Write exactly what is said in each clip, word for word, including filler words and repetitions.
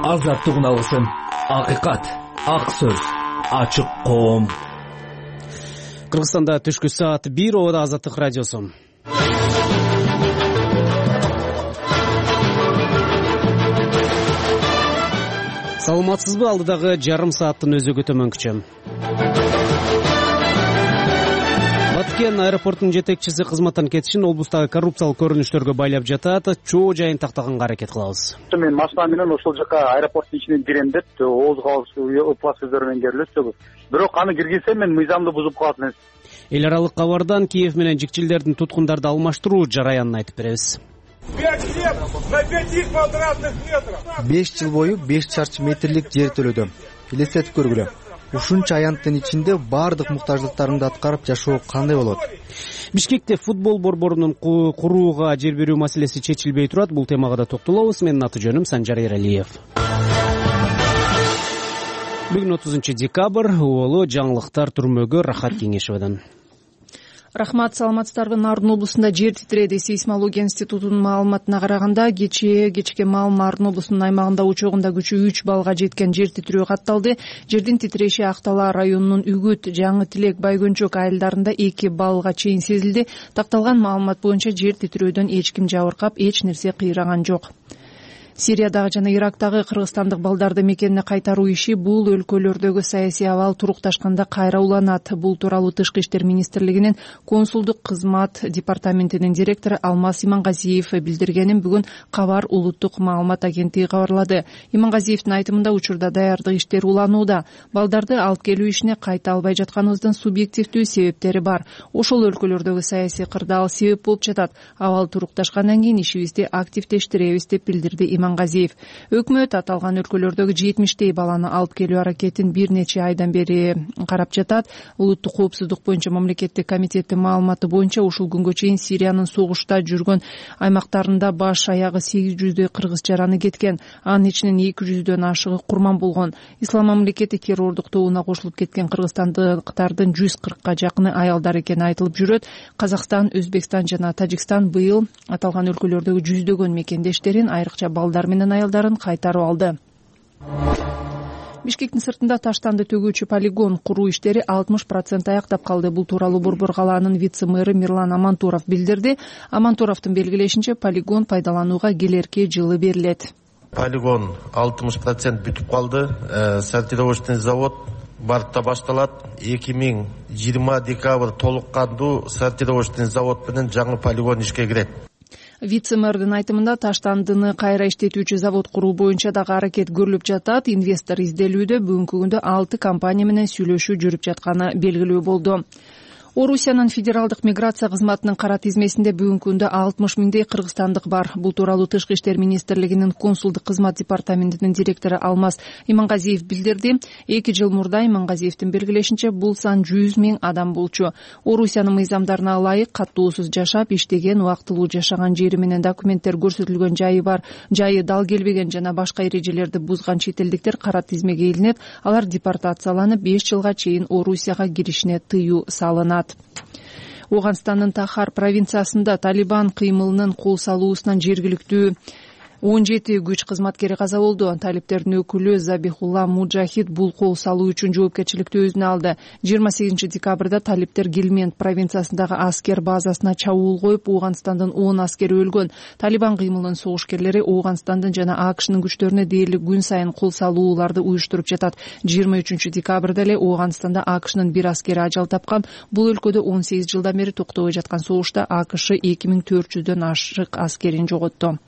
азаттык уналысын, акыйкат, ак сөз, ачык коом. Кыргызстанда түшкү саат бир, обода Азаттык радиосу. Саламатсызбы? Алдыдагы жарым сааттын өзү көтөмөнкүчө. Баткен аэропортунун жетекчиси кызматтан кетишин облустагы коррупциялык көрүнүштөргө байлап жатат. Чоо жайын тактаганга аракет кылабыз. Мен машина менен ошол жака аэропорттун ичине кирем деп ооз кабыл ыплас сөздөр менен келип, бирок аны киргизсем мен мыйзамды бузуп калат эмес. Эл аралык кабардан Киев менен жикчилдердин туткундарды алмаштыруу жараянын айтып беребиз. пять лет на пяти квадратных метров. беш жыл бою беш чарчы метрлик жер төлөдүм. Элестетип көргүлө. Ушунча аянттын ичинде баардык муктаждыктарыңды аткарып жашоо кандай болот? Бишкекте футбол борборунун курууга жер берүү маселеси чечилбей турат. Бул темага да токтолобуз. Менин аты жөнүм Санжар Эралиев. Бүгүн отузунчу декабрь, уолу жаңылыктар түрмөгө Рахат Кеңешевден. Рахмат, саламатсыздарбы? Нарын облусунда жер титиреди. Сейсмология институтунун маалыматына караганда, кечээ кечке маал Нарын облусунун аймагында учогунда күчү үч баллга жеткен жер титирөө катталды. Жердин титиреши Актала районунун Үгүт, Жаңы Тилек, Байгөнчөк айылдарында эки баллга чейин сезилди. Такталган маалымат боюнча жер титирөөдөн эч ким жабыркап, эч нерсе кыйраган жок. Сириядагы жана Ирактагы кыргызстандык балдарды мекенине кайтаруу иши бул өлкөлөрдөгү саясий абал турукташканда кайра уланат. Бул тууралуу Тышкы иштер министрлигинин консулдук кызмат департаментинин директору Алмаз Имангазиев билдиргенин бүгүн Кабар улуттук маалымат агенттиги кабарлады. Имангазиевдин айтымында учурда даярдык иштери уланууда. Балдарды алып келүү ишине кайта албай жатканыбыздын субъективдүү себептери бар. Ошол өлкөлөрдөгү саясий кырдаал себеп болуп жатат. Абал турукташкандан кийин ишибизди активдештиребиз деп билдирди Имангазиев. Өкмөт аталган өлкөлөрдөгү жетимиштей баланы алып келүү аракетин бир нече айдан бери карап жатат. Улуттук коопсуздук боюнча мамлекеттик комитеттин маалыматы боюнча ушул күнгө чейин Сириянын согушта жүргөн аймактарында баш аягы сегиз жүздөй кыргыз жараны кеткен. Анын ичинен эки жүздөн ашыгы курман болгон. Ислам мамлекети террордук тобуна кошулуп кеткен кыргызстандыктардын жүз кыркка жакыны аялдар экени айтылып жүрөт. Казакстан, Өзбекстан жана Тажикстан быйыл аталган өлкөлөрдөгү жүздөгөн мекендештерин, айрыкча балдар менен аялдарын кайтарып алды. Бишкектин сыртында таштанды төгүүчү полигон куруу иштери алтымыш процент аяктап калды. Бул тууралуу Борбор калаанын вице-мэры Мирлан Амантуров билдирди. Амантуровдун белгилешинче, полигон пайдаланууга келерки жылы берилет. Полигон алтымыш процент бүтүп калды. Сортировочный завод Бартта башталат. эки миң жыйырма декабрь толук кандуу сортировочный завод менен жаңы полигон ишке кирет. Вице-мэрдин айтымында таштандыны кайра иштетүүчү завод куруу боюнча дагы аракет көрүлүп жатат. Инвестор изделүүдө бүгүнкү күндө алты компания менен сүйлөшүү жүрүп жатканы белгилүү болду. Орусиянын федералдык миграция кызматынын кара тизмесинде бүгүнкү күндө алтымыш миңдей кыргызстандык бар. Бул тууралуу Тышкы иштер министрлигинин консулдук кызмат департаментинин директору Алмаз Имангазиев билдирди. Эки жыл мурда Имангазиевдин белгилешинче бул сан жүз миң адам болчу. Орусиянын мыйзамдарына ылайык каттоосуз жашап, иштеген, убактылуу жашаган жери менен документтер көрсөтүлгөн жайы бар, жайы дал келбеген жана башка эрежелерди бузган чет элдиктер кара тизмеге илинет. Алар депортацияланып беш жылга чейин Орусияга киришине тыюу салынат. Ооганстандын Тахар провинциясында Талибан кыймылынын кол салуусунан жергиликтүү он жети күч кызматкери каза болду. Талиптердин өкүлү Забихулла Муджахид бул кол салуу үчүн жоопкерчиликти өзүнө алды. жыйырма сегизинчи декабрда талиптер Гельмент провинциясындагы аскер базасына чабуул коюп, Ооганстандын он аскери өлгөн. Талибан кыймылынын согушкерлери Ооганстандын жана АКШнын күчтөрүнө дээрлик күн сайын кол салууларды уюштуруп жатат. жыйырма үчүнчү декабрда эле Ооганстанда АКШнын бир аскери ажал тапкан. Бул өлкөдө он сегиз жылдан бери токтобой жаткан согушта АКШ эки миң төрт жүздөн ашык аскерин жоготту.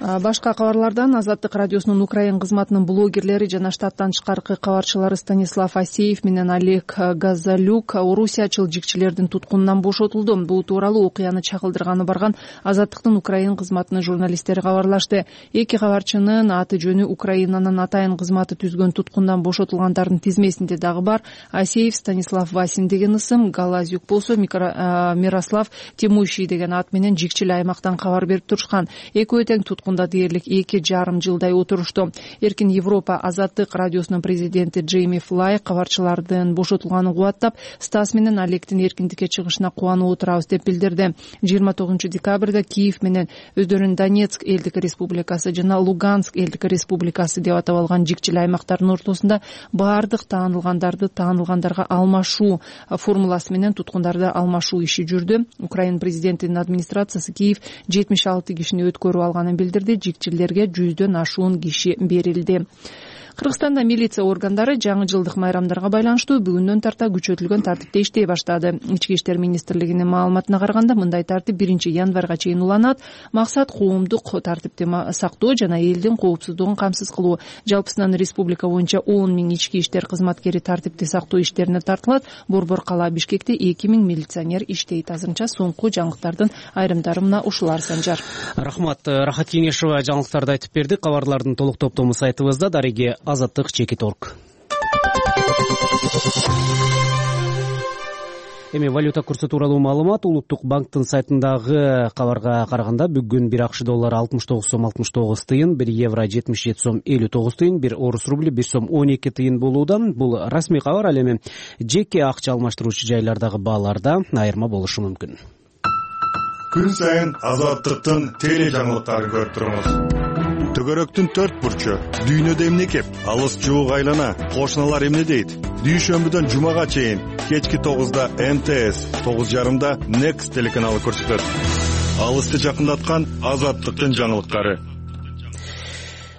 Башка кабарлардан Азаттык радиосунун Украин кызматынын блогерлери жана штаттан тышкаркы кабарчылары Станислав Асеев менен Олег Газалюк орусиячыл жикчилердин туткунунан бошотулду. Бул тууралуу окуяны чагылдырганы барган Азаттыктын Украин кызматынын журналисттери кабарлашты. Эки кабарчынын аты жөнү Украинанын атайын кызматы түзгөн туткундан бошотулгандардын тизмесинде дагы бар. Асеев Станислав Васин деген ысым, Галазюк болсо Мирослав Темуйший деген ат менен жикчил аймактан кабар берип турушкан. Экөө тең туткун колдугунда дээрлик эки жарым жылдай отурушту. Эркин Европа Азаттык радиосунун президенти Джейми Флай кабарчылардын бошотулганын кубаттап, Стас менен Олегдин эркиндикке чыгышына кубанып отурабыз деп билдирди. жыйырма тогузунчу декабрда Киев менен өздөрүн Донецк элдик республикасы жана Луганск элдик республикасы деп атап алган жикчил аймактардын ортосунда баардык таанылгандарды таанылгандарга алмашуу формуласы менен туткундарды алмашуу иши жүрдү. Украина президентинин администрациясы Киев жетимиш алты кишини өткөрүп алганын билдирди. Жикчилерге жүздөн ашуун киши берилди. Кыргызстанда милиция органдары жаңы жылдык майрамдарга байланыштуу бүгүндөн тарта күчөтүлгөн тартипте иштей баштады. Ички иштер министрлигинин маалыматына караганда, мындай тартип биринчи январга чейин уланат. Максат коомдук тартипти сактоо жана элдин коопсуздугун камсыз кылуу. Жалпысынан республика боюнча он миң ички иштер кызматкери тартипти сактоо иштерине тартылат. Борбор кала Бишкекте эки миң милиционер иштейт. Азырынча соңку жаңылыктардын айрымдары мына ушулар Санжар. Рахмат. Рахат Кеңешова жаңылыктарды айтып берди. Кабарлардын толук топтому сайтыбызда дареги азаттык чекит точка орг. Эми валюта курсу тууралуу маалымат Улуттук банктын сайтындагы кабарга караганда бүгүн бир акш доллары алтымыш тогуз сом алтымыш тогуз тыйын, бир евро жетимиш жети сом элүү тогуз тыйын, бир орус рубли бир сом он эки тыйын болууда. Бул расмий кабар. Ал эми жеке акча алмаштыруучу жайлардагы бааларда айырма болушу мүмкүн. Күн сайын Азаттыктын теле жаңылыктарын көрүп туруңуз. Төгөрөктүн төрт бурчу, дүйнөдө эмне кеп, алыс жуук айлана, кошуналар эмне дейт? Дүйшөмбүдөн жумага чейин кечки тогузда эм тэ эс, тогуз жарымда Next телеканалы көрсөтөт. Алысты жакындаткан Азаттыктын жаңылыктары.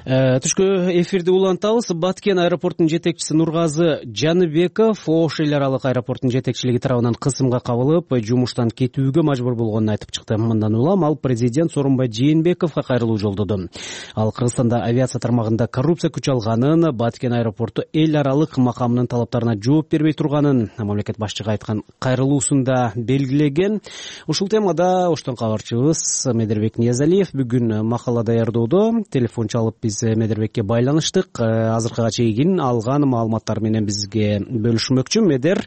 Түшкө эфирди улантабыз. Баткен аэропортунун жетекчиси Нургазы Жаныбеков Ош эл аралык аэропортунун жетекчилиги тарабынан кысымга кабылып, жумуштан кетүүгө мажбур болгонун айтып чыкты. Мындан улам ал президент Сооронбай Жээнбековго кайрылуу жолдоду. Ал Кыргызстанда авиация тармагында коррупция күч алганын, Баткен аэропорту эл аралык макамынын талаптарына жооп бербей турганын мамлекет башчыга айткан кайрылуусунда белгилеген. Ушул темада Оштон кабарчыбыз Медербек Ниязалиев бүгүн макала даярдоодо. Телефон чалып Медербекке байланыштык. Азыркыга чейин алган маалыматтар менен бизге бөлүшмөкчү. Медер,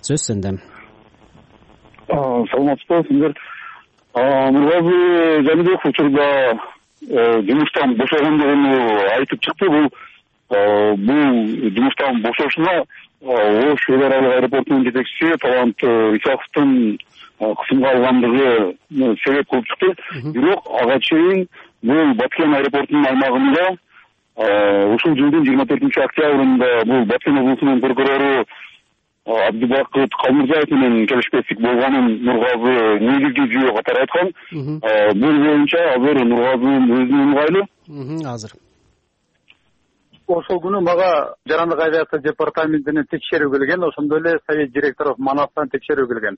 сөз сенде. Саламатсызбы сиздер? Нургазы Жаныбеков учурда жумуштан бошогондугун айтып чыкты. Бул бул жумуштан бошошуна Ош эл аралык аэропортунун жетекчиси Талант Исаковдун кысымга алгандыгы себеп кылып чыкты. Бирок ага чейин бул Баткен аэропортунун аймагында ушул жылдын жыйырма төртүнчү октябрында бул Баткен облусунун прокурору Абдыбакыт Калмырзаев менен келишпестик болгонун Нургазы негизги жүйө катары айткан. Бул боюнча азыр Нургазынын өзүнө ыңгайлуу. Азыр ошол күнү мага жарандык авиация департаментинен текшерүү келген, ошондой эле совет директоров Манастан текшерүү келген.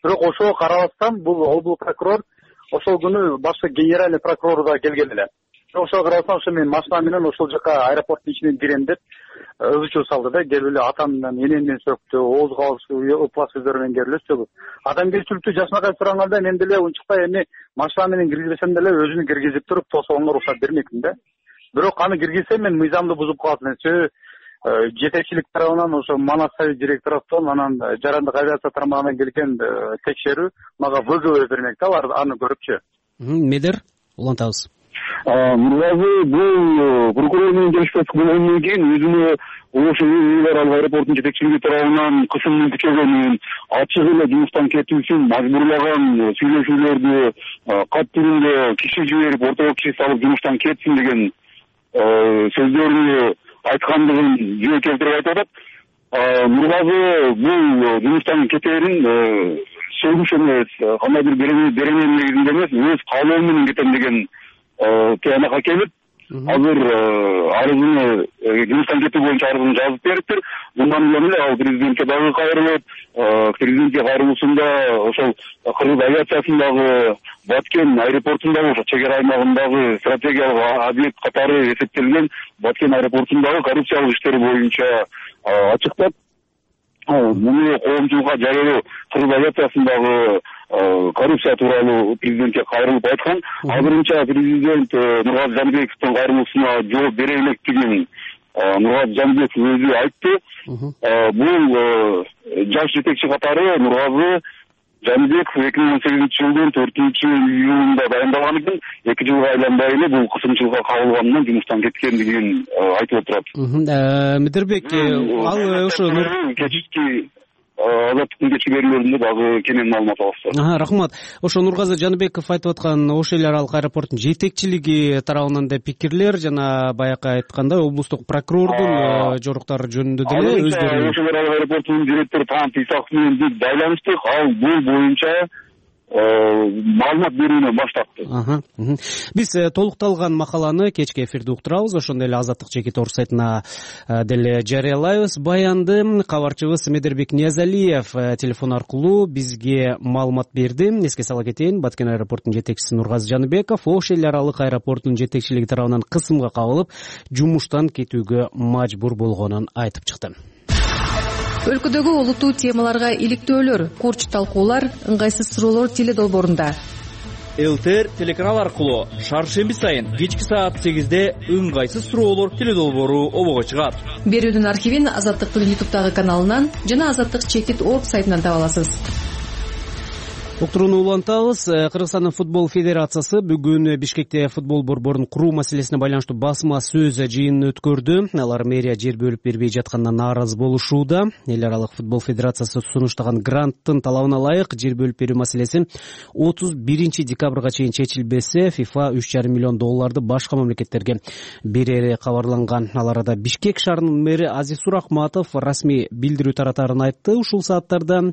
Бирок ошого карабастан бул облус прокурор ошол күнү башкы генеральный прокурор да келген эле. Ошого карабастан ошо мен машина менен ошол жака аэропорттун ичине кирем деп ызы чуу салды да, келип эле атамдан энемден сөктү, оозго алып ыплас сөздөр менен келип эле сөгүп. Адамгерчиликтүү жашынакай сураганда мен деле унчукпай эми машина менен киргизбесем деле өзүнү киргизип туруп тосогонго уруксат бермекмин да. Бирок аны киргизсем мен мыйзамды бузуп калат. Жетекчилик тарабынан ошо Манас совет директоровдон анан жарандык авиация тармагынан келген текшерүү мага вэ гэ вэ бермек да, алар аны көрүпчү. Медер, улантабыз. Нургазы бул прокурор менен келишпестик болгондон кийин өзүнө Ош эл аралык аэропортунун жетекчилиги тарабынан кысымдын күчөгөнүн, ачык эле жумуштан кетүүсүн мажбурлаган сүйлөшүүлөрдү кат түрүндө киши жиберип, ортого киши салып жумуштан кетсин деген сөздөрүнү айткандыгын жөө келтирип айтып атат. Нургазы бул жумуштан кетээрин сөгүш эмес, кандай бир берененин негизинде эмес, өз каалоо менен кетем деген тыянакка келип, азыр арызын жумуштан кетүү боюнча арызын жазып бериптир. Мындан улам эле ал президентке дагы кайрылып, президентке кайрылуусунда ошол кыргыз авиациясындагы Баткен аэропортундагы ошо чек ара аймагындагы стратегиялык объект катары эсептелген Баткен аэропортундагы коррупциялык иштери боюнча ачыктап, муну коомчулукка жарыялоо кыргыз авиациясындагы коррупция тууралуу президентке кайрылып айткан. Азырынча президент Нургазы Жаныбековдун кайрылуусуна жооп бере электигин Нургазы Жаныбеков өзү айтты. Бул жаш жетекчи катары Нургазы Жаныбеков эки миң он сегизинчи жылдын төртүнчү июлунда дайындалган экен. Эки жылга айланбай эле бул кысымчылыкка кабылганынан жумуштан кеткендигин айтып отурат. Мидирбек, ал ошо кечки азаттыктын кечки берүүлөрүндө дагы кенен маалымат алабыз. Рахмат. Ошо Нургазы Жаныбеков айтып аткан Ош эл аралык аэропорттун жетекчилиги тарабынан да пикирлер жана баягы айткандай облустук прокурордун жоруктары жөнүндө деле өздөрү Ош эл аралык аэропортунун директору Таанат Исаков менен биз байланыштык. Ал бул боюнча маалымат берүүнөн баш тартты. Биз толукталган макаланы кечки эфирде уктурабыз, ошондой эле Азаттык жеке тор сайтына деле жарыялайбыз. Баянды кабарчыбыз Мидирбек Ниязалиев телефон аркылуу бизге маалымат берди. Эске сала кетейин, Баткен аэропортунун жетекчиси Нургазы Жаныбеков Ош эл аралык аэропортунун жетекчилиги тарабынан кысымга кабылып, жумуштан кетүүгө мажбур болгонун айтып чыкты. Өлкөдөгү олуттуу темаларга иликтөөлөр, курч талкуулар, ыңгайсыз суроолор теле долбоорунда. ЛТР телеканал аркылуу шаршемби сайын кечки саат сегизде ыңгайсыз суроолор теле долбоору обого чыгат. Берүүдүн архивин Азаттыктын ютубтагы каналынан жана Азаттык чекит точка орг сайтынан таба аласыз. Уктурууну улантабыз. Кыргызстандын футбол федерациясы бүгүн Бишкекте футбол борборун куруу маселесине байланыштуу басма сөз жыйынын өткөрдү. Алар мэрия жер бөлүп бербей жатканына нааразы болушууда. Эл аралык футбол федерациясы сунуштаган гранттын талабына ылайык жер бөлүп берүү маселеси отуз биринчи декабрга чейин чечилбесе, ФИФА үч жарым миллион долларды башка мамлекеттерге берери кабарланган. Ал арада Бишкек шаарынын мэри Азиз Сурахматов расмий билдирүү таратарын айтты. Ушул сааттарда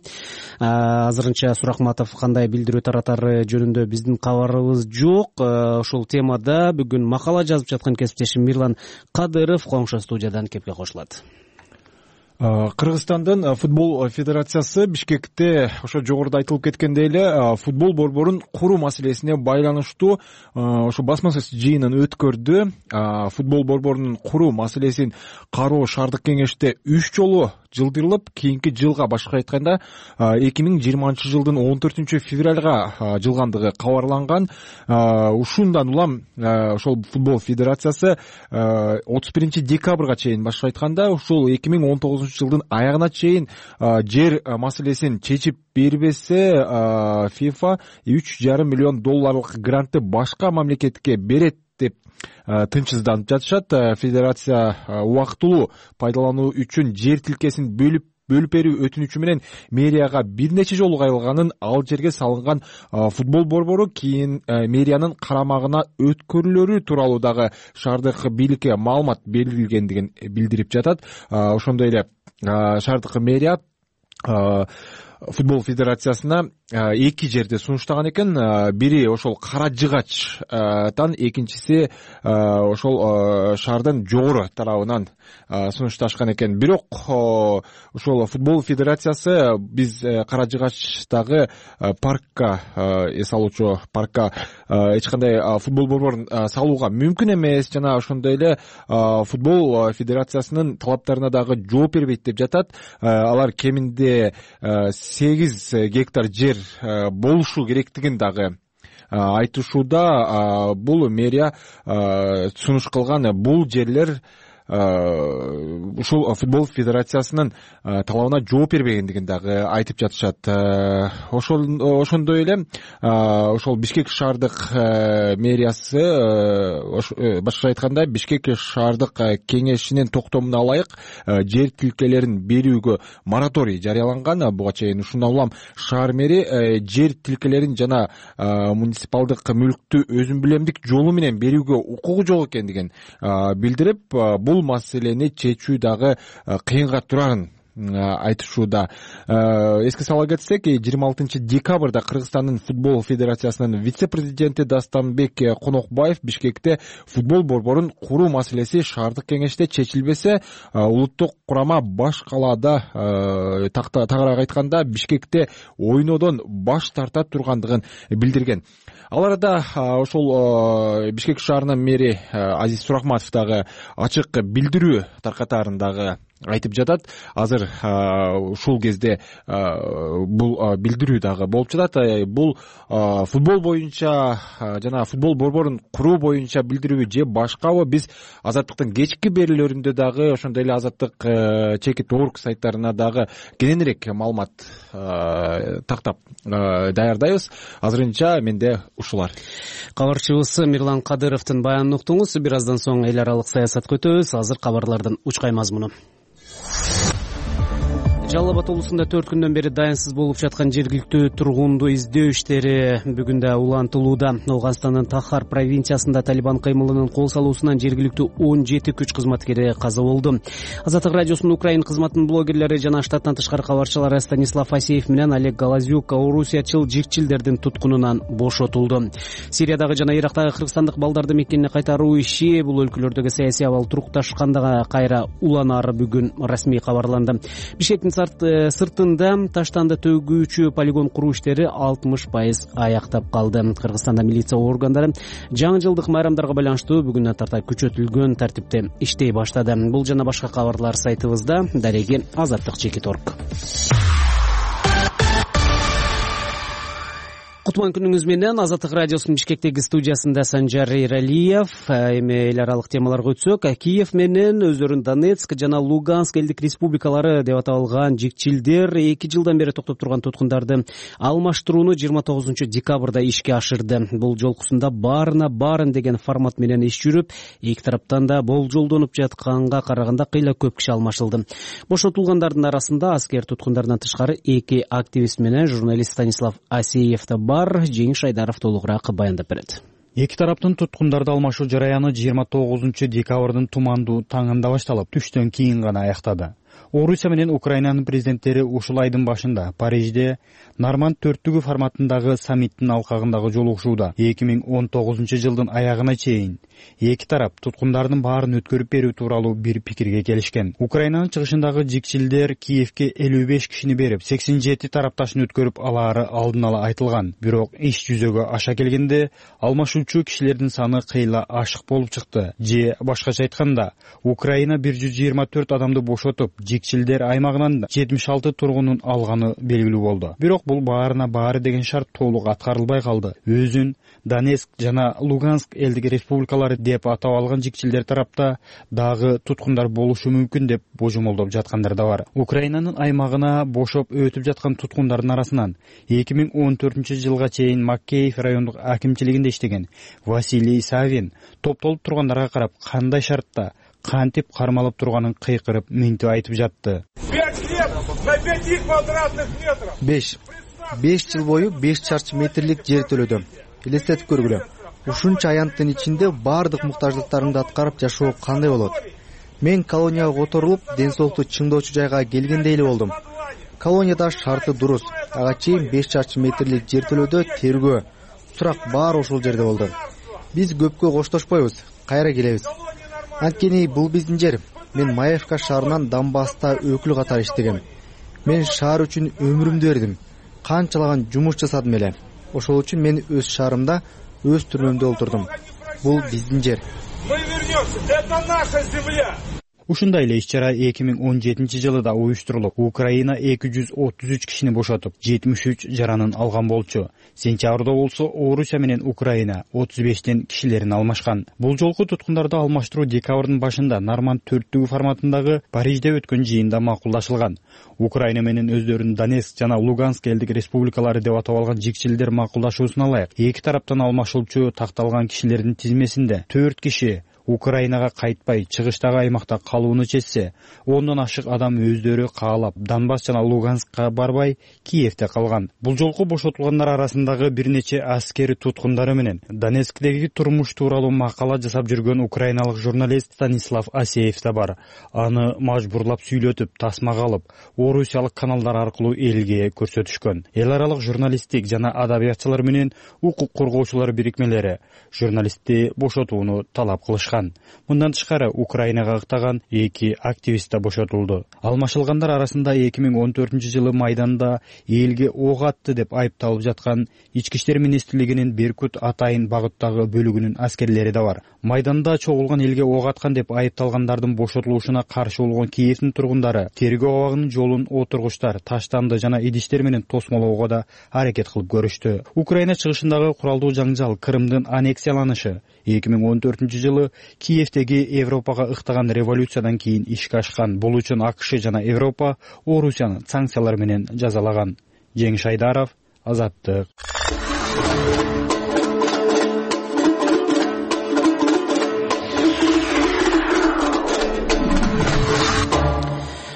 азырынча Сурахматов кандай билдирүү таратары жөнүндө биздин кабарыбыз жок. Ушул темада бүгүн макала жазып жаткан кесиптешим Мирлан Кадыров коңшу студиядан кепке кошулат. Кыргызстандын футбол федерациясы Бишкекте ошо жогоруда айтылып кеткендей эле футбол борборун куруу маселесине байланыштуу ошо басма сөз жыйынын өткөрдү. Футбол борборунун куруу маселесин кароо шаардык кеңеште үч жолу жылдырылып, кийинки жылга башка айтканда эки миң жыйырманчы жылдын он төртүнчү февралга жылгандыгы кабарланган. Ушундан улам ошол футбол федерациясы отуз биринчи декабрга чейин башка айтканда ушул эки миң он тогузунчу жылдын аягына чейин жер маселесин чечип бербесе, ФИФА үч жарым миллион долларлык грантты башка мамлекетке берет деп тынчсызданып жатышат. Федерация убактылуу пайдалануу үчүн жер тилкесин бөлүп бөлүп берүү өтүнүчү менен мэрияга бир нече жолу кайрылганын, ал жерге салынган футбол борбору кийин мэриянын карамагына өткөрүлөрү тууралуу дагы шаардык бийликке маалымат берилгендигин билдирип жатат. Ошондой эле шаардык мэрия футбол федерациясына эки жерде сунуштаган экен. Бири ошол Кара Жыгачтан, экинчиси ошол шаардын жогору тарабынан сунушташкан экен. Бирок ошол футбол федерациясы биз Кара Жыгачтагы паркка, эс алуучу паркка эч кандай футбол борборун салууга мүмкүн эмес жана ошондой эле футбол федерациясынын талаптарына дагы жооп бербейт деп жатат. Алар кеминде сегиз гектар жер болушу керектигин дагы айтышууда. Бул мэрия сунуш кылган бул жерлер ушул футбол федерациясынын талабына жооп бербегендигин дагы айтып жатышат. Ошондой эле ошол Бишкек шаардык мэриясы, башкача айтканда Бишкек шаардык кеңешинин токтомуна ылайык жер тилкелерин берүүгө мораторий жарыяланган. Буга чейин ушундан улам шаар мэри жер тилкелерин жана муниципалдык мүлктү өзүмбүлемдик жолу менен берүүгө укугу жок экендигин билдирип, бул маселени чечүү дагы кыйынга турарын айтышууда. Эске сала кетсек, жыйырма алтынчы декабрда Кыргызстандын футбол федерациясынын вице-президенти Дастанбек Конокбаев Бишкекте футбол борборун куруу маселеси шаардык кеңеште чечилбесе, улуттук курама баш калаада, тагыраак айтканда Бишкекте ойнодон баш тарта тургандыгын билдирген. Ал арада ошол Бишкек шаарынын мэри Азиз Сурахматов дагы ачык билдирүү таркатарын дагы айтып жатат. Азыр ушул кезде бул билдирүү дагы болуп жатат. Бул футбол боюнча жана футбол борборун куруу боюнча билдирүүбү же башкабы? Биз Азаттыктын кечки берүүлөрүндө дагы ошондой эле Азаттык чекит орг сайттарына дагы кененирээк маалымат тактап даярдайбыз. Азырынча менде ушулар. Кабарчыбыз Мирлан Кадыровдун баянын уктуңуз. Бир аздан соң эл аралык саясатка өтөбүз. Азыр кабарлардын учкай мазмуну. Жалал Абад облусунда төрт күндөн бери дайынсыз болуп жаткан жергиликтүү тургунду издөө иштери бүгүн да улантылууда. Ооганстандын Тахар провинциясында Талибан кыймылынын кол салуусунан жергиликтүү он жети күч кызматкери каза болду. Азаттык радиосунун Украин кызматынын блогерлери жана штаттан тышкары кабарчылары Станислав Асеев менен Олег Голозюк орусиячыл жикчилдердин туткунунан бошотулду. Сириядагы жана Ирактагы кыргызстандык балдарды мекенине кайтаруу иши бул өлкөлөрдөгү саясий абал турукташканда кайра уланары бүгүн расмий кабарланды. Бишкектин сыртында таштанды төгүүчү полигон куруу иштери алтымыш пайыз аяктап калды. Кыргызстанда милиция органдары жаңы жылдык майрамдарга байланыштуу бүгүнөн тарта күчөтүлгөн тартипте иштей баштады. Бул жана башка кабарлар сайтыбызда. Дареги азаттык чекит орг. Кутман күнүңүз менен. Азаттык радиосунун Бишкектеги студиясында Санжар Эралиев. Эми эл аралык темаларга өтсөк, Киев менен өздөрүн Донецк жана Луганск элдик республикалары деп аталган жикчилдер эки жылдан бери токтоп турган туткундарды алмаштырууну жыйырма тогузунчу декабрда ишке ашырды. Бул жолкусунда баарына баарын деген формат менен иш жүрүп, эки тараптан да болжолдонуп жатканга караганда кыйла көп киши алмашылды. Бошотулгандардын арасында аскер туткундардан тышкары эки активист менен журналист Станислав Асеев да бар. Жеңиш Айдаров толугураак баяндап берет. Эки тараптын туткундарды алмашуу жараяны жыйырма тогузунчу декабрдын тумандуу таңында башталып, түштөн кийин гана аяктады. Орусия менен Украинанын президенттери ушул айдын башында Парижде Норманд төрттүгү форматындагы саммиттин алкагындагы жолугушууда эки миң он тогузунчу жылдын аягына чейин эки тарап туткундардын баарын өткөрүп берүү тууралуу бир пикирге келишкен. Украинанын чыгышындагы жикчилдер Киевке элүү беш кишини берип, сексен жети тарапташын өткөрүп алаары алдын ала айтылган. Бирок иш жүзөгө аша келгенде алмашуучу кишилердин саны кыйла ашык болуп чыкты. Же башкача айтканда, Украина бир жүз жыйырма төрт адамды бошотуп, жикчилдер аймагынан жетимиш алты тургунун алганы белгилүү болду. Бирок бул баарына баары деген шарт толук аткарылбай калды. Өзүн Донецк жана Луганск элдик республикалары деп атап алган жикчилдер тарапта дагы туткундар болушу мүмкүн деп божомолдоп жаткандар да бар. Украинанын аймагына бошоп өтүп жаткан туткундардын арасынан эки миң он төртүнчү жылга чейин Макеев райондук акимчилигинде иштеген Василий Савин топтолуп тургандарга карап кандай шартта, кантип кармалып турганын кыйкырып мынтип айтып жатты. беш беш жыл бою беш чарчы метрлик жер төлөдүм. Элестетип көргүлө. Ушунча аянттын ичинде баардык муктаждыктарымды аткарып жашоо кандай болот? Мен колонияга которулуп, ден соолукту чыңдоочу жайга келгендей эле болдум. Колонияда шарты дурус. Ага чейин беш чарчы метрлик жер төлөөдө тергөө, сурак баары ошол жерде болду. Биз көпкө коштошпойбуз, кайра келебиз. Анткени бул биздин жер. Мен Маевка шаарынан Донбасста өкүл катары иштегем. Мен шаар үчүн өмүрүмдү бердим. Канчалаган жумуш жасадым эле. Ошол үчүн мен өз шаарымда, өз түрмөмдө олтурдум. Бул биздин жер. Мы вернемся, это наша земля. Ушундай эле иш-чара эки миң он жетинчи жылы да уюштурулуп, Украина эки жүз отуз үч кишини бошотуп, жетимиш үч жаранын алган болчу. Сентябрда болсо Орусия менен Украина отуз бештен кишилерин алмашкан. Бул жолку туткундарды алмаштыруу декабрдын башында Норманд төрттүгү форматындагы Парижде өткөн жыйында макулдашылган. Украина менен өздөрүн Донецк жана Луганск элдик республикалары деп атап алган жикчилдер макулдашуусуна ылайык эки тараптан алмашылчу такталган кишилердин тизмесинде төрт киши Украинага кайтпай, чыгыштагы аймакта калууну чечсе, ондон ашык адам өздөрү каалап Донбасс жана Луганскка барбай, Киевде калган. Бул жолку бошотулгандар арасындагы бир нече аскери туткундары менен Донецктеги турмуш тууралуу макала жасап жүргөн украиналык журналист Станислав Асеев да бар. Аны мажбурлап сүйлөтүп, тасмага алып, орусиялык каналдар аркылуу элге көрсөтүшкөн. Эл аралык журналисттик жана адабиятчылар менен укук коргоочулар бирикмелери журналистти бошотууну талап кылышкан. жаткан. Мындан тышкары Украинага ыктаган эки активист да бошотулду. Алмашылгандар арасында эки миң он төртүнчү жылы майданда элге ок атты деп айыпталып жаткан Ички иштер министрлигинин Беркут Атайын багыттагы бөлүгүнүн аскерлери да бар. Майданда чогулган элге ок аткан деп айыпталгандардын бошотулушуна каршы болгон Киевдин тургундары тергөө абагынын жолун отургучтар, таштанды жана идиштер менен тосмолоого да аракет кылып көрүштү. Украина чыгышындагы куралдуу жаңжал, Крымдын аннексияланышы эки миң он төртүнчү жылы Киевдеги Европага ыктаган революциядан кийин ишке ашкан. Бул үчүн АКШ жана Европа Орусияны санкциялар менен жазалаган. Жеңиш Айдаров, Азаттык.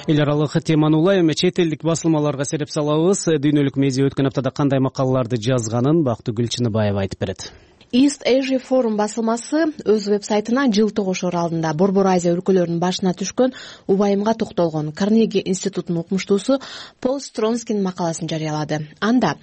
Эл аралык теманы улай эми чет элдик басылмаларга сереп салабыз. Дүйнөлүк медиа өткөн аптада кандай макалаларды жазганын Бактыгүл Чыныбаева айтып берет. East Asia Forum басылмасы өз веб-сайтына жыл тогушор алдында Борбор Азия өлкөлөрүнүн башына түшкөн убайымга токтолгон Карнеги институтунун окумуштуусу Пол Стронскинин макаласын жарыялады. Анда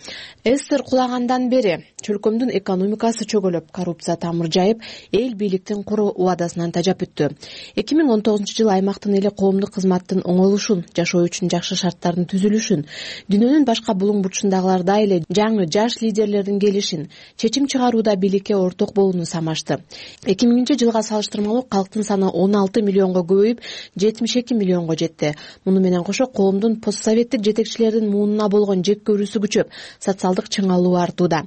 эстер кулагандан бери чөлкөмдүн экономикасы чөгөлөп, коррупция тамыр жайып, эл бийликтин куру убадасынан тажап өттү. эки миң он тогузунчу жылы аймактын эли коомдук кызматтын оңойлушун, жашоо үчүн жакшы шарттардын түзүлүшүн, дүйнөнүн башка булуң бурчундагылардай эле жаңы жаш лидерлердин келишин, чечим чыгарууда бийлик орток болууну самашты. эки миңинчи жылга салыштырмалуу калктын саны он алты миллионго көбөйүп, жетимиш эки миллионго жетти. Муну менен кошо коомдун постсоветтик жетекчилердин муунуна болгон жек көрүүсү күчөп, социалдык чыңалуу артууда.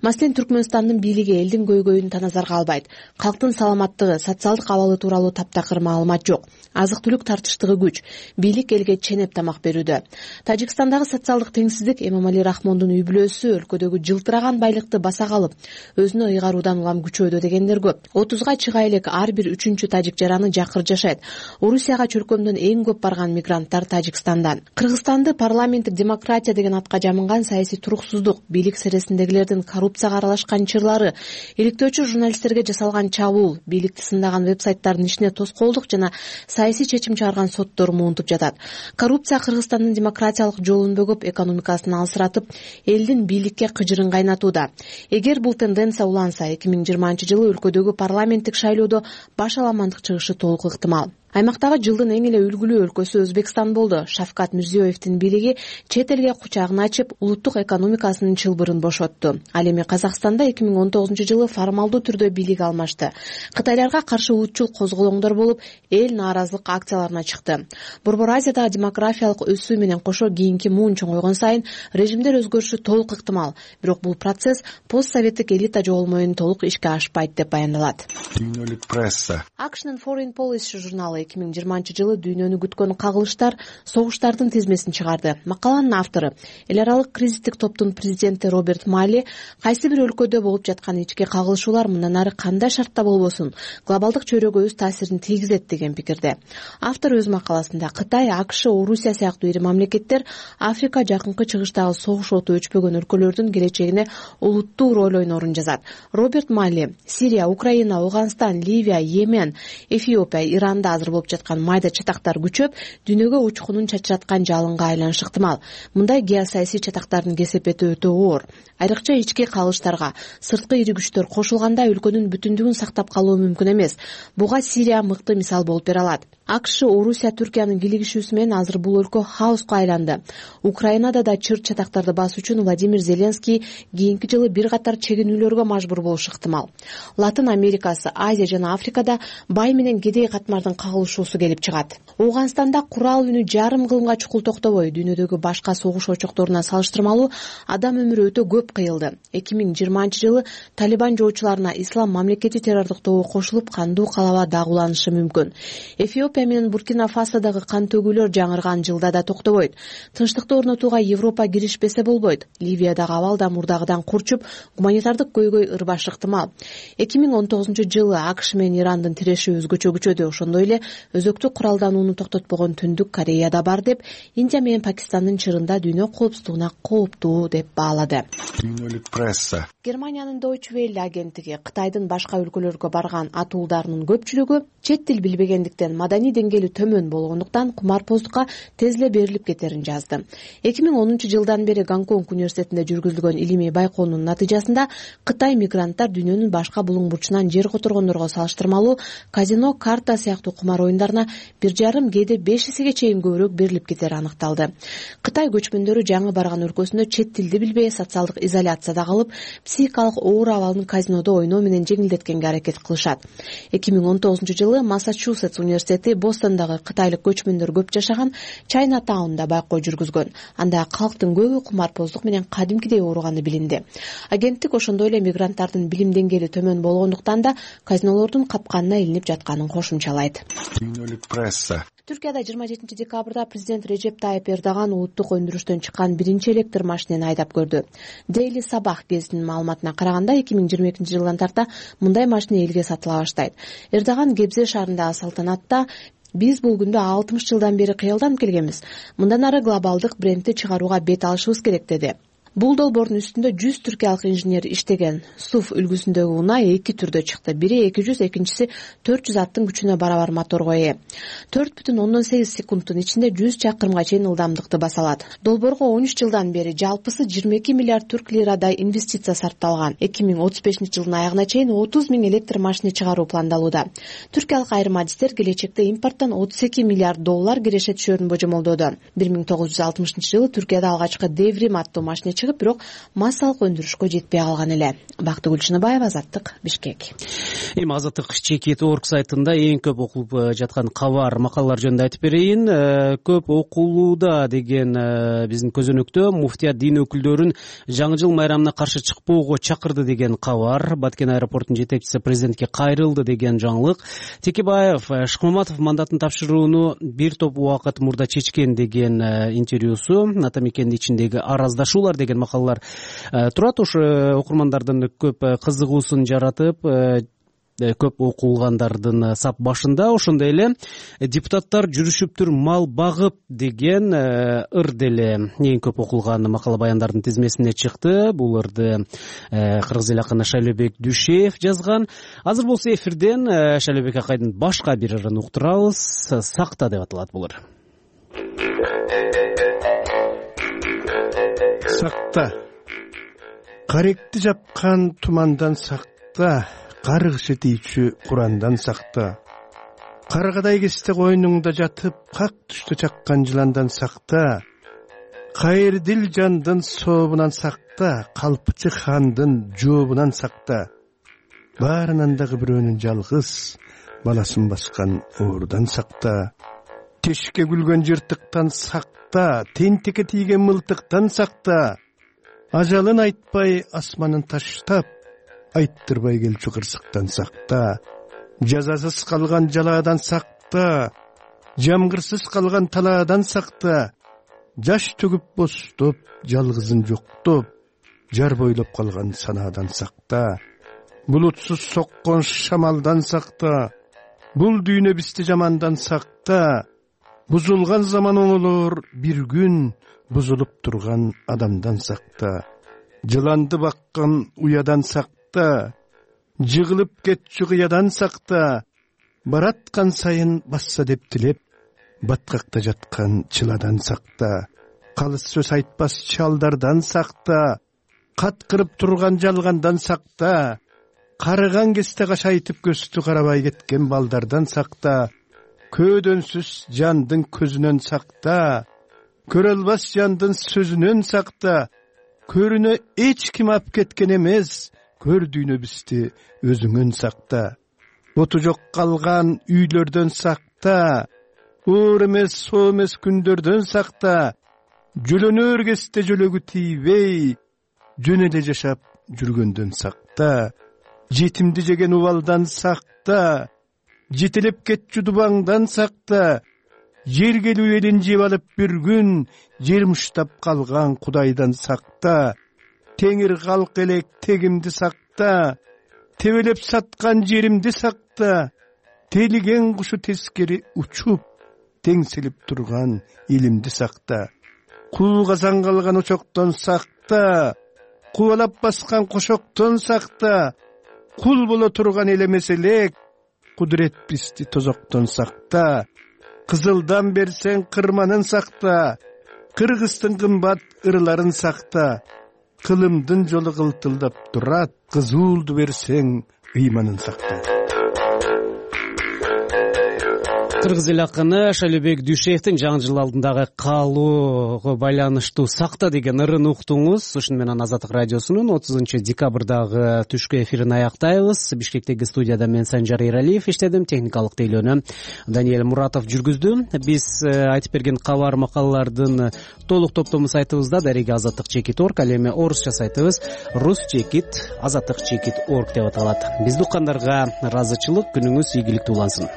Маселен, Түркмөнстандын бийлиги элдин көйгөйүн таназарга албайт. Калктын саламаттыгы, социалдык абалы тууралуу таптакыр маалымат жок. Азык-түлүк тартыштыгы күч. Бийлик элге ченеп тамак берүүдө. Тажикстандагы социалдык теңсиздик Эмомали Рахмондун үй бүлөсү өлкөдөгү жылтыраган байлыкты баса калып, өзүнө ыйгаруудан улам күчөөдө дегендер көп. отузга чыга элек ар бир үчүнчү тажик жараны жакыр жашайт. Орусияга чөлкөмдөн эң көп барган мигранттар Тажикстандан. Кыргызстанды парламенттик демократия деген атка жамынган саясий туруксуздук, бийлик сересиндегилердин коррупцияга аралашкан чырлары, иликтөөчү журналисттерге жасалган чабуул, бийликти сындаган веб-сайттардын ишине тоскоолдук жана саясий чечим чыгарган соттор муунтуп жатат. Коррупция Кыргызстандын демократиялык жолун бөгөп, экономикасын алсыратып, элдин бийликке кыжырын кайнатууда. Эгер бул тенденция уланса, эки миң жыйырманчы жылы өлкөдөгү парламенттик шайлоодо баш аламандык чыгышы толук ыктымал. Аймактагы жылдын эң эле үлгүлүү өлкөсү Өзбекстан болду. Шавкат Мирзиёевдин бийлиги чет элге кучагын ачып, улуттук экономикасынын чылбырын бошотту. Ал эми Казакстанда эки миң он тогузунчу жылы формалдуу түрдө бийлик алмашты. Кытайларга каршы улутчул козголоңдор болуп, эл нааразылык акцияларына чыкты. Борбор Азиядагы демографиялык өсүү менен кошо кийинки муун чоңойгон сайын режимдер өзгөрүшү толук ыктымал. Бирок бул процесс постсоветтик элита жоголмоюн толук ишке ашпайт деп баяндалат. Дүйнөлүк пресса. Акшнын Foreign Policy журналы эки миң жыйырманчы жылы дүйнөнү күткөн кагылыштар, согуштардын тизмесин чыгарды. Макаланын автору, эл аралык кризистик топтун президенти Роберт Малли, кайсы бир өлкөдө болуп жаткан ички кагылышуулар мындан ары кандай шартта болбосун, глобалдык чөйрөгө өз таасирин тийгизет деген пикирде. Автор өз макаласында Кытай, АКШ, Орусия сыяктуу ири мамлекеттер Африка жакынкы чыгыштагы согуш оту өчпөгөн өлкөлөрдүн келечегине олуттуу роль ойнорун жазат. Роберт Малли Сирия, Украина, Ауганстан, Ливия, Йемен, Эфиопия, Иранда азыр болуп жаткан майда чатактар күчөп, дүйнөгө учкунун чачыраткан жалынга айланышы ыктымал. Мындай геосаясий чатактардын кесепети өтө оор. Айрыкча ички кагылыштарга сырткы ири күчтөр кошулганда өлкөнүн бүтүндүгүн сактап калуу мүмкүн эмес. Буга Сирия мыкты мисал болуп бере алат. АКШ, Орусия, Түркиянын кийлигишүүсү менен азыр бул өлкө хаоска айланды. Украинада да чыр чатактарды басуу үчүн Владимир Зеленский кийинки жылы бир катар чегинүүлөргө мажбур болушу ыктымал. Латын Америкасы, Азия жана Африкада бай менен кедей катмардын кагылышуусу келип чыгат. Ауганстанда курал үнү жарым кылымга чукул токтобой, дүйнөдөгү башка согуш очокторуна салыштырмалуу адам өмүрү өтө көп кыйылды. эки миң жыйырманчы жылы Талибан жоочуларына ислам мамлекети террордук тобу кошулуп, кандуу калаба дагууланышы мүмкүн. Эфиопия менен Буркина Фасодагы кан төгүүлөр жаңырган жылда да токтобойт. Тынчтыкты орнотууга Европа киришпесе болбойт. Ливиядагы абал да мурдагыдан курчуп, гуманитардык көйгөй ырбашы ыктымал. эки миң он тогузунчу жылы АКШ менен Ирандын тиреши өзгөчө күчөдү. Ошондой эле өзөктүк куралданууну токтотпогон Түндүк Корея да бар деп, Индия менен Пакистандын чырында дүйнө коопсуздугуна кооптуу деп баалады. Дүйнөлүк пресса. Германиянын Deutsche Welle агенттиги Кытайдын башка өлкөлөргө барган атуулдарынын көпчүлүгү чет тил билбегендиктен, маданий деңгээли төмөн болгондуктан кумарпоздукка тез эле берилип кетерин жазды. эки миң онунчу жылдан бери Гонконг университетинде жүргүзүлгөн илимий байкоонун натыйжасында Кытай мигранттар дүйнөнүн башка булуң бурчунан жер которгондорго салыштырмалуу казино, карта сыяктуу кумар оюндарына бир жарым, кээде беш эсеге чейин көбүрөөк берилип кетери аныкталды. Кытай көчмөндөрү жаңы барган өлкөсүндө чет тилди билбей, социалдык изоляцияда калып, психикалык оор абалын казинодо ойноо менен жеңилдеткенге аракет кылышат. эки миң он тогузунчу жылы Массачусетс университети Бостондогу кытайлык көчмөндөр көп жашаган Чайнатаунда байкоо жүргүзгөн. Анда калктын көбү кумарпоздук менен кадимкидей ооруганы билинди. Агенттик ошондой эле мигранттардын билим деңгээли төмөн болгондуктан да казинолордун капканына илинип жатканын кошумчалайт. Дүйнөлүк пресса. Түркияда жыйырма жетинчи декабрда президент Режеп Тайып Эрдоган улуттук өндүрүштөн чыккан биринчи электр машинени айдап көрдү. Daily Sabah гезитинин маалыматына караганда, эки миң жыйырма экинчи жылдан тарта мындай машина элге сатыла баштайт. Эрдоган Гебзе шаарындагы салтанатта «Биз бул күндө алтымыш жылдан бери кыялданып келгенбиз. Мындан ары глобалдык брендти чыгарууга бет алышыбыз керек» деди. Бул долбоордун үстүндө жүз түркиялык инженер иштеген. Сув үлгүсүндөгү унай эки түрдө чыкты. Бири эки жүз, экинчиси төрт жүз аттын күчүнө барабар моторго ээ. төрт бүтүн ондон сегиз секундтун ичинде жүз чакырымга чейин ылдамдыкты баса алат. Долбоорго он үч жылдан бери жалпысы жыйырма эки миллиард түрк лирадай инвестиция сарпталган. эки миң отуз бешинчи жылдын аягына чейин отуз миң электр машина чыгаруу пландалууда. Түркиялык айрым адистер келечекте импорттон отуз эки миллиард доллар киреше түшөрүн божомолдоду. бир миң тогуз жүз алтымышынчы жылы Түркияда алгачкы Devrim аттуу машина чыгып, бирок массалык өндүрүшкө жетпей калган эле. Бактыгүл Чыныбаева, Азаттык, Бишкек. Эми Азаттык чекит орг сайтында эң көп окулуп жаткан кабар, макалалар жөнүндө айтып берейин. Көп окулууда деген биздин көзөнөктө муфтият дин өкүлдөрүн жаңы жыл майрамына каршы чыкпоого чакырды деген кабар. Баткен аэропортунун жетекчиси президентке кайрылды деген жаңылык. Текебаев Шыкмаматов мандатын тапшырууну бир топ убакыт мурда чечкен деген интервьюсу, Атамекендин ичиндеги араздашуулар деген макалалар турат. Ошо окурмандардын көп кызыгуусун жаратып, көп окулгандардын сап башында. Ошондой эле депутаттар жүрүшүптүр мал багып деген ыр деле эң көп окулган макала баяндардын тизмесине чыкты. Бул ырды кыргыз эл акыны Шайлообек Дүйшеев жазган. Азыр болсо эфирден Шайлообек акайдын башка бир ырын уктурабыз. Сакта деп аталат бул ыр. Сакта. Каректи жапкан тумандан сакта, каргышы тийчү Курандан сакта. Каргадай кесте койнуңда жатып, как түштө чаккан жыландан сакта. Кайырдил жандын сообунан сакта, калпчы хандын жообунан сакта. Баарынан дагы бирөөнүн жалгыз баласын баскан оорудан сакта. Тешке күлгөн жыртыктан сакта, тентекке тийген мылтыктан сакта. Ажалын айтпай асманын таштап, айттырбай келчү кырсыктан сакта. Жазасыз калган жалаадан сакта, жамгырсыз калган талаадан сакта. Жаш төгүп бостоп, жалгызын жоктоп, жар бойлоп калган санаадан сакта. Булутсуз соккон шамалдан сакта. Бул дүйнө бизди жамандан сакта. Бузулган заман оңолор бир күн, бузулуп турган адамдан сакта. Жыланды баккан уядан сакта. Жыгылып кетчү кыядан сакта. Бараткан сайын басса деп тилеп, баткакта жаткан чыладан сакта. Калыс сөз айтпас чалдардан сакта. Каткырып турган жалгандан сакта. Карыган кесте кашайтып көстү карабай кеткен балдардан сакта. Көөдөнсүз жандын көзүнөн сакта. Көрө албас жандын сөзүнөн сакта. Көрүнө эч ким ап кеткен эмес, көрдүйнө бизди өзүңөн сакта. Оту жок калган үйлөрдөн сакта. Оор эмес, соо эмес күндөрдөн сакта. Жөлөнөр кесте жөлөгү тийбей, жөн эле жашап жүргөндөн сакта. Жетимди жеген убалдан сакта. Жетелеп кетчү дубаңдан сакта. Жер келүү элин жеп алып бир күн, жер муштап калган Кудайдан сакта. Теңир калк элек тегимди сакта. Тебелеп саткан жеримди сакта. тейлиген кушу тескери учуп теңселип турган илимди сакта. Кул казан калган очоктон сакта, кубалап баскан кошоктон сакта, кул боло турган эл эмес элек, кудурет бизди тозоктон сакта. Кызылдан берсең кырманын сакта, кыргыздын кымбат ырларын сакта. Кылымдын жолу кылтылдап турат, кызуулду берсең ыйманын сакта. Кыргыз эл акыны Шалибек Дүйшеевдин жаңы жыл алдындагы каалоого байланыштуу сакта деген ырын уктуңуз. Ушуну менен Азаттык радиосунун отузунчу декабрдагы түшкү эфирин аяктайбыз. Бишкектеги студияда мен Санжар Эралиев иштедим, техникалык тейлөөнү Даниэль Муратов жүргүздү. Биз айтып берген кабар макалалардын толук топтому сайтыбызда дареги азаттык чекит точка орг, ал эми орусча сайтыбыз рус чекит азаттык чекит точка орг деп аталат. Бизди уккандарга ыраазычылык, күнүңүз ийгиликтүү улансын.